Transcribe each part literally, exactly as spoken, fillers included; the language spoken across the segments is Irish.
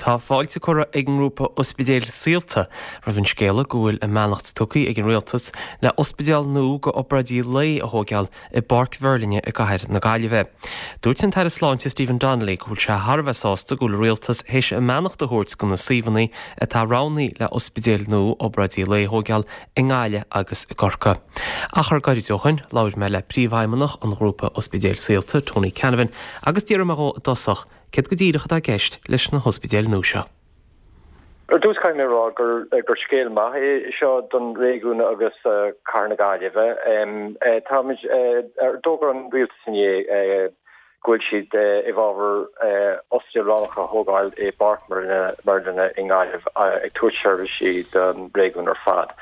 Tá fáilte curtha ag an ngrúpa Ospidéil Saolta roimh an scéala go bhfuil a mbeannacht tugtha ag an Rialtas le ospidéal nua do obráidí lae a thógáil i bPáirc Mheirlinne i gcathair na Gaillimhe. Dúirt an tAire Sláinte Stephen Donnelly go bhfuil sé thar a bheith sásta go bhfuil an Rialtas théis a mbeannacht a thabhairt do na suíomhanna atá roghnaithe le ospidéal nua obráidí lae a thógáil i nGaillimh agus i gCorcaigh. Achar gairid ó shin labhair mé le príomhfheidhmeannach an ghrúpa Ospidéil Saolta Tony Canavan agus d'iarr mé dhó i dtosach céard go díreach atá i gceist leis na hospidéil nua seo. Ar dtús caithfidh mé rá gur gur scéal maith é seo don réigiún agus cathair na Gaillimhe. Táimid d'fhógair an rialtas inné go bhfuil siad i bhfabhar ospidéal roghnach a thógáil i bPáirc Mheirlinne i nGaillimh ag tabhairt seirbhísí don réigiún ar fad.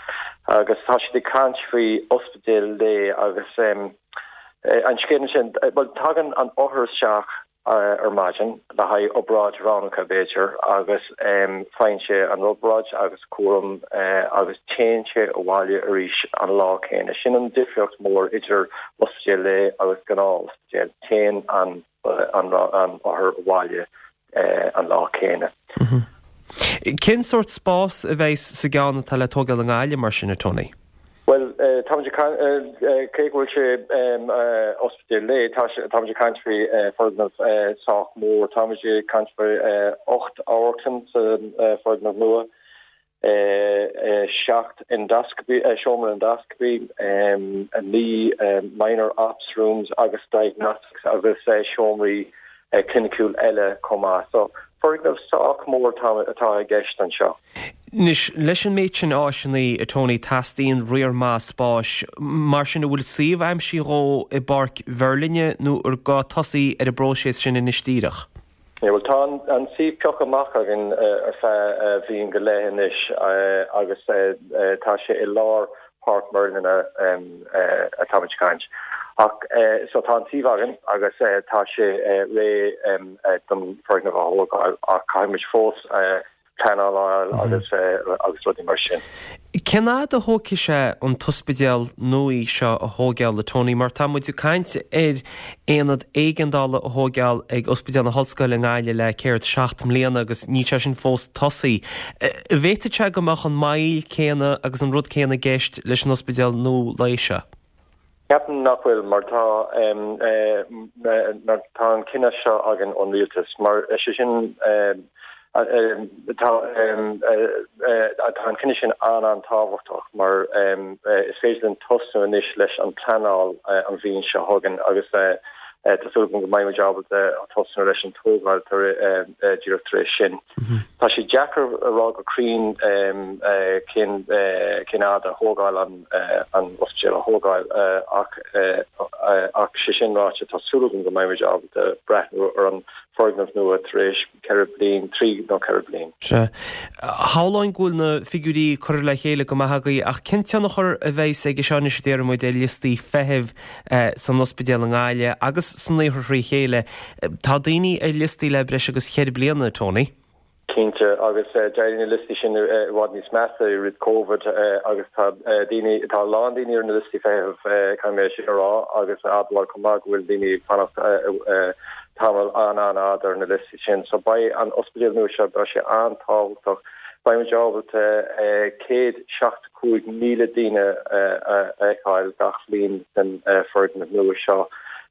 Agus tá siad ag caint faoi ospidéal lae agus an scéal sin well tagann an othar isteach ar maidin le haghaidh obráid roghnach b'fhéidir agus faigheann sé an obráid agus cúram agus téann sé abhaile arís an lá céanna. Sin an difríocht mór idir ospidéal lae agus gnáth-ospidéal téann an an an othar abhaile an lá céanna. Cén sórt spás a bheidh sa gceann atá le tógáil i nGaillimh mar sin a Tony? Well tá cé go bhfuil sé ospidéal lae tá ag caint faoi foirgneamh sách mór tá ag caint faoi ocht amharclann sa foirgneamh nua seacht endoscopy seomra endoscopy naoi minor ops rooms agus diagnostics agus seomraí cliniciúil eile chomh maith. So foirgneamh sách mór atá i gceist anseo. Anois leis an méid sin áiseanna a Tony teastaíonn riar maith spáis mar sin an bhfuil suíomh aimsithe dhó i bPáirc Mheirlinne nó ar gá tosaí ar an bpróiseas sin anois díreach. Yeah, well tá an suíomh pioctha amach againn ar feadh bliain go leith anois agus tá sé i lár Páirc Mheirlinne atá ag caint. Ach so tá an suíomh againn agus tá sé réidh don foirgneamh a thógáil ach caithfimid fós pleanáil agus agus rudaí mar sin. Cén fhad a thógfaidh sé an t-ospidéal nua seo a thógáil a Tony, mar tá muid ag caint ar aonad éigeandála a thógáil ag Ospidéal na hOllscoile i nGaillimh le céard seacht mbliana agus níl sé sin fós tosaithe. An bhféadfadh sé go mbeadh an moill céanna agus an rud céanna i gceist leis an ospidéal nua lae seo. Ceapaim nach bhfuil mar tá mar tá an cinneadh seo againn ón rialtas mar sé sin tá tá an cinneadh sin an an-tábhachtach mar is féidir linn tosú anois leis an pleanáil an bhliain seo chugainn agus tá súil go mbeidh ábalta tosú leis an tógáil díreach tar éis sin. Tá sé deacair a rá go cruinn cén cén fhad a thógáil an an ospidéal a thógáil ach ach sé sin ráite tá súil go mbeidh ábalta breathnú ar an foirgneamh nua tar éis ceithre bliain trí nó ceithre bliain. Sea. Shamhlóinn go bhfuil na figiúirí curtha le chéile go maith agaibh ach cén tionchar a bheidh aige seo anois a déarfaidh muid ar liostaí feithimh san ospidéal i nGaillimh agus san iarthar trí chéile. Tá daoine ar liostaí le breis agus ceithre bliana, Tony. Cinnte agus d'éirigh na liostaí sin i bhfad níos measa i rith COVID agus tá daoine tá lán daoine ar na liostaí feithimh caithfidh mé sin a rá agus admháil chomh maith go bhfuil daoine ag fanacht tamall an an-fhada ar na liostaí sin. So beidh an ospidéal nua seo beidh sé an-tábhachtach Beimid ábalta céad seachtó cúig míle daoine a fheiceáil gach bliain den foirgneamh nua seo,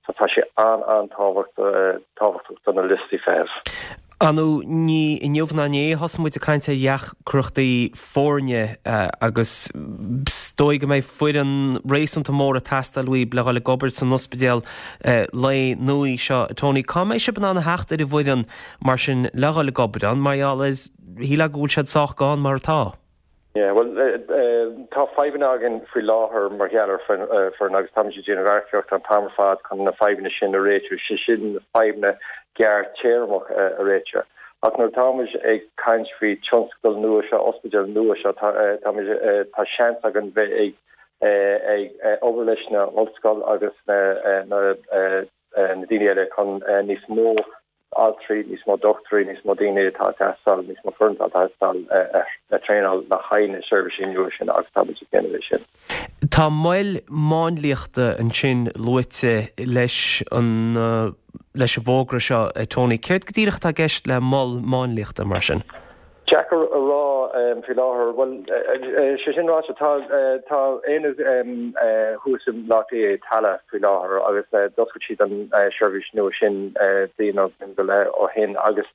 so tá sé an an-tábhachtach do na liostaí feithimh. Ar ndóigh ní inniu ná inné a thosaigh muid ag caint ar dheacrachtaí foirne agus is dóigh go mbeidh foireann réasúnta mór ag teastáil uaibh le dhul ag obair san ospidéal lae nua seo. Tony, cá mbeidh sibh in ann a theacht ar an bhfoireann mar sin le dhul ag obair ann mar gheall ar shílfeá go bhfuil siad sách gann mar atá? Yeah, well tá fadhbanna againn faoi láthair mar gheall ar foireann agus táimid ag déanamh earcaíocht an t-am ar fad chun na fadhbanna sin a réitiú, sé sin na fadhbanna gearrthéarmach a réitiú. Ach nuair táimid ag caint faoi tionscadal nua seo, ospidéal nua seo, táimid tá seans againn bheith ag ag obair leis na ollscoil agus na na daoine eile chun níos mó altraí, níos mó dochtúirí, níos mó daoine atá ag teastáil, níos mó foireann atá ag teastáil le traenáil le haghaidh na seirbhísí nua sin agus táimid ag déanamh é sin. Tá moil máinliachta ansin luaite leis an leis an bhfógra seo, Tony. Céard go díreach atá i gceist le mol máinliachta mar sin? Deacair a rá faoi láthair. Bhuel, sé sin ráite, tá tá aonad thuas i mBaile Átha Cliath i Tallaght faoi láthair agus d'oscail siad an seirbhís nua sin bliain nó bliain go leith ó shin agus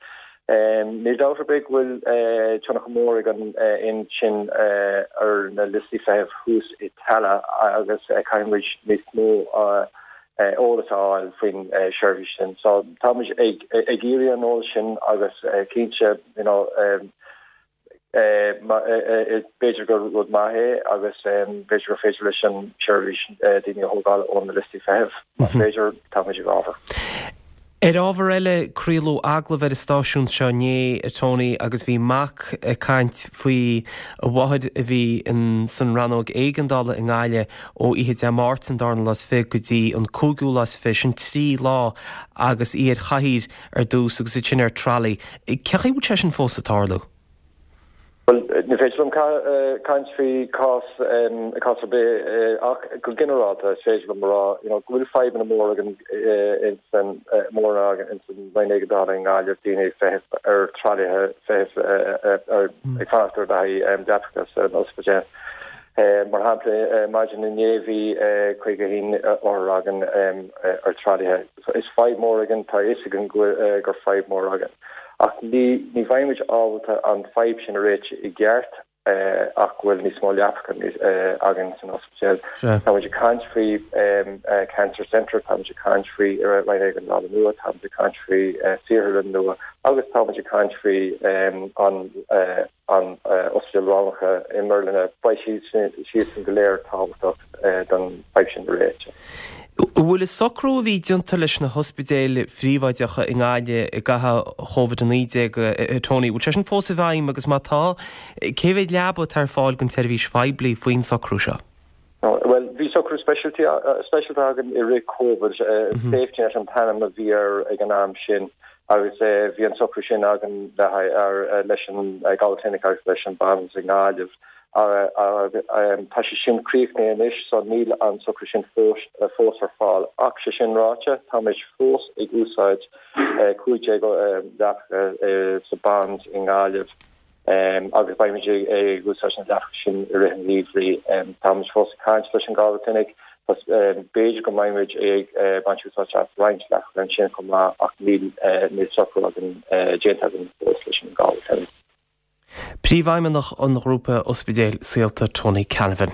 níl dabht ar bith go bhfuil tionchar mór ag an aonad sin ar na liostaí feithimh thuas i Tallaght agus caithfidh muid níos mó eolas a fháil faoin seirbhís sin. So táimid ag ag iarraidh an eolas sin agus cinnte you know b'fhéidir gur rud maith é agus b'fhéidir gur féidir leis an seirbhís daoine a thógáil ó na liostaí feithimh. Más féidir táimid i bhfabhar. Ar ábhar eile, craoladh agallamh ar an stáisiún seo inné, a Tony, agus bhí mac ag caint faoi a mháthair a bhí in san rannóg éigeandála i nGaillimh ó oíche Dé Máirt an darna lá is fiche go dtí an cúigiú lá is fiche, sin trí lá agus í ar chathaoir ar dtús agus ansin ar trolley. Cén chaoi a bhfuil sé sin fós ag tarlú? Well, ní féidir liom caint faoi cás cás ar bith ach go ginearálta is féidir liom rá you know, go bhfuil fadhbanna mór againn in mór againn in san Roinn Éigeandála i nGaillimh daoine ag feitheamh ar tralaithe feitheamh ar ag fanacht ar leapacha leapacha san ospidéal. Mar shampla maidin inné bhí caoga haon othar againn ar tralaithe. So is fadhb mór againn tá fhios againn gur fadhb mór againn. Ach ní ní bheimid ábalta an fadhb sin a réiteach i gceart ach go bhfuil níos mó leapacha againn san ospidéal. Táimid ag caint faoi Cancer Centre, táimid ag caint faoi Roinn Éigeandála nua, táimid ag caint faoi saotharlann nua agus táimid ag caint faoi an an ospidéal roghnacha i mBeirlín. Beidh siad siadsan go léir tábhachtach don fadhb sin a réiteach. An bhfuil an socrú a bhí déanta leis na hospidéil phríobháideacha i nGaillimh i gcaitheamh Covid a naoi déag, a Tony, bhfuil sé sin fós i bhfeidhm agus má tá, cé mhéad leaba atá ar fáil don tseirbhís phoiblí faoin socrú seo? Well, bhí socrú speisialta againn i rith Covid, Safety Net an t-ainm a bhí air ag an am sin agus bhí an socrú sin againn le leis an Galway Clinic agus leis an Bond's i nGaillimh. Tá sé sin críochnaithe anois so níl an socrú sin fós fós ar fáil ach sé sin ráite táimid fós ag úsáid cúig déag leapacha sa Bond's i nGaillimh agus beimid ag úsáid na leapacha sin i rith an gheimhridh. Táimid fós ag caint leis an Galway Clinic b'fhéidir go mbeimid ag baint úsáid as roinnt leapacha ansin chomh maith ach níl níl socrú againn déanta againn fós leis an Galway Clinic. Príomhfheidhmeannach an ghrúpa Ospidéil Saolta Tony Canavan.